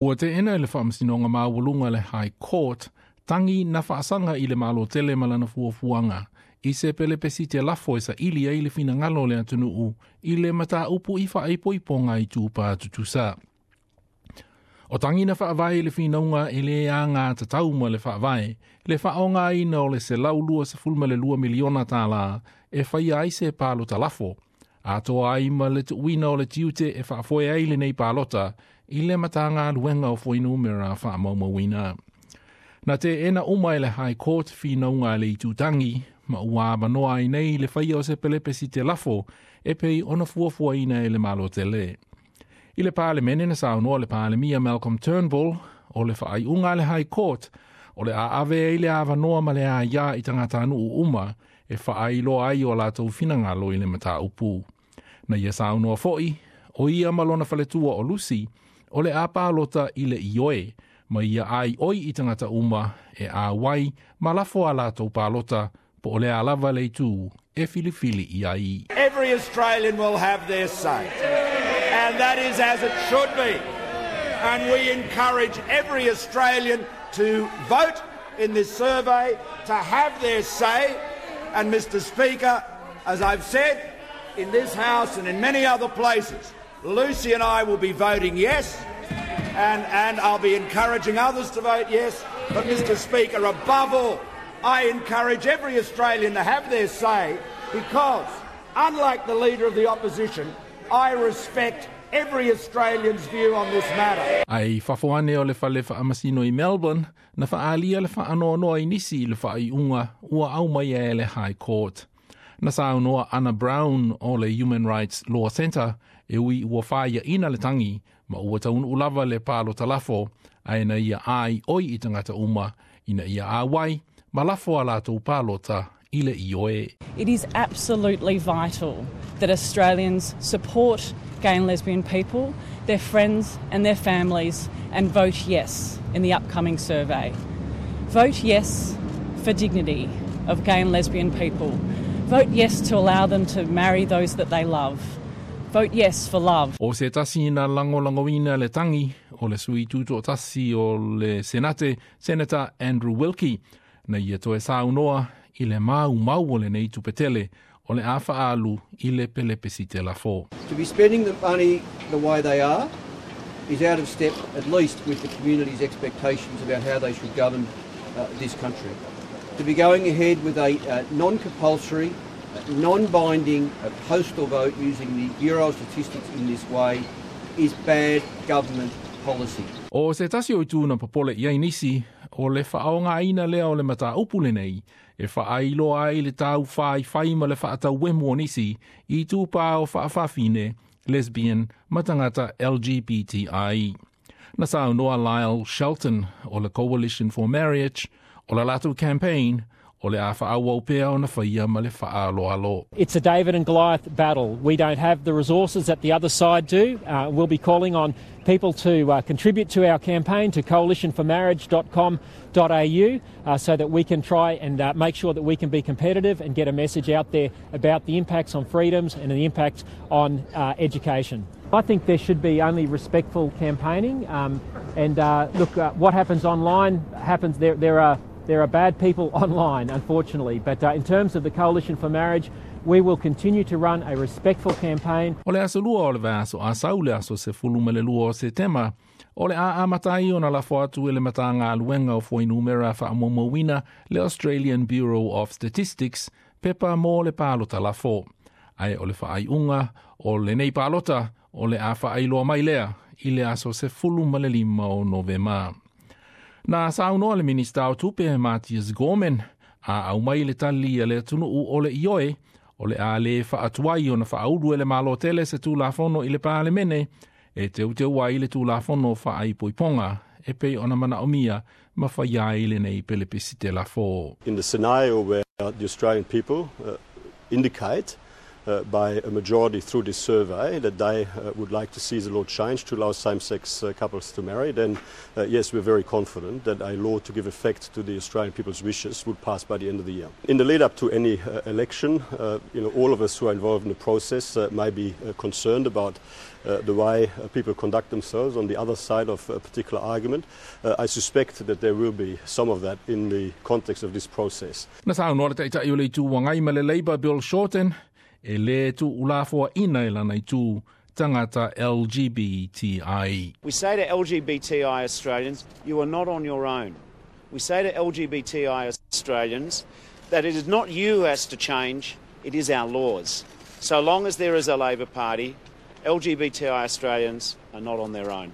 Ua teena e le Faamasinoga Maualuga le High Court tagi na faasaga i le Malo tele ma lana fuafuaga i se pelepesite lafo e saili ai le finagalo o le atunuu i le mataupu i faaipoipoga itupa tutusa. O tagi na faavae i le finauga e le agatatau ma le faavae, le faaaogaina o le $122 miliona tālā e faia ai se palota lafo, atoa ai ma le tuuina o le tiute e faafoe ai lenei palota i le Matagaluega o Fuainumera Faamaumauina. Na teena uma e le High Court finauga a le itutangi, ma ua avanoa ai nei le faia o se pelepesite lafo e pei ona fuafuaina e le Malo tele. I le Palemene na saunoa le Palemia Malcolm Turnbull o le faaiuga a le High Court o le a ave ai le avanoa ma le aiā i tagatanuu uma e faailoa ai o latou finagalo i le mataupu. Na ia saunoa foi, o ia ma lona faletua o Lucy, o le a palota i le ioe, ma ia aioi i tagata uma e auai ma lafo a latou palota po o le a lava le itu e filifili i ai. Every Australian will have their say, and that is as it should be. And we encourage every Australian to vote in this survey, to have their say. And Mr Speaker, as I've said in this House and in many other places, Lucy and I will be voting yes, and I'll be encouraging others to vote yes. But Mr Speaker, above all, I encourage every Australian to have their say because, unlike the Leader of the Opposition, I respect every Australian's view on this matter. Ae i fafo ane o le fale faamasino i Melbourne, na faaalia le faanoanoa i nisi i le faaiuga ua aumaia e le High Court. Na saunoa Anna Brown o le Human Rights Law Centre e ui ua faiaina le tagi ma ua taunuu lava le palota lafo, ae na ia aioi i tagata uma ina ia auai ma lafo a latou palota i le ioe. It is absolutely vital that Australians support gay and lesbian people, their friends and their families, and vote yes in the upcoming survey. Vote yes for dignity of gay and lesbian people. Vote yes to allow them to marry those that they love. Vote yes for love. O se tasi na lagolagoina le tagi o le sui tutoatasi o le Senate, Senator Andrew Wilkie, na ia toe saunoa i le maumau o lenei tupe tele o le a faaalu i le pelepesite lafo. To be spending the money the way they are is out of step, at least with the community's expectations about how they should govern this country. To be going ahead with a non-compulsory, non-binding postal vote using the Bureau of Statistics in this way is bad government policy. O se tasi o itu na popole i ai nisi, o le faaaogaina lea o le mataupu lenei, e faailoa ai le taufaifai ma le faatauemu o nisi i itupa o faafafine, lesbian, ma tagata LGBTI. Na saunoa Lyle Shelton o le Coalition for Marriage, o le latou campaign, o le a faaauau pea ona faia ma le faaaloalo. It's a David and Goliath battle. We don't have the resources that the other side do. We'll be calling on people to contribute to our campaign to coalitionformarriage.com.au so that we can try and make sure that we can be competitive and get a message out there about the impacts on freedoms and the impact on education. I think there should be only respectful campaigning, and look, what happens online happens. There are bad people online, unfortunately. But in terms of the Coalition for Marriage, we will continue to run a respectful campaign. O le aso Lua o le vaiaso a sau le aso 12 o Setema, o le a amata ai ona lafo atu e le Matagaluega o Fuainumera Faamaumauina le Australian Bureau of Statistics pepa mo le palota lafo. Ae o le faaiuga o lenei palota o le a faailoa mai lea i le aso 15 o Novema. Na saunoa le Minista o Tupe Mathias Gorman a aumai le tali a le atunuu o le ioe o le a le faatuai ona faaulu e le Malo tele se Tulafono i le Palemene e teuteu ai le Tulafono Faaipoipoga e pei ona manaomia ma faia ai lenei pelepesite lafo. In the scenario where the Australian people indicate by a majority through this survey that they would like to see the law changed to allow same-sex couples to marry, then yes, we're very confident that a law to give effect to the Australian people's wishes would pass by the end of the year. In the lead up to any election, all of us who are involved in the process may be concerned about the way people conduct themselves on the other side of a particular argument. I suspect that there will be some of that in the context of this process. Na saunoa le Taitai o le Itu Agai ma le Labour Bill Shorten, e lē tuulafoaina e lana itu tagata LGBTI. We say to LGBTI Australians, you are not on your own. We say to LGBTI Australians that it is not you who has to change, it is our laws. So long as there is a Labor Party, LGBTI Australians are not on their own.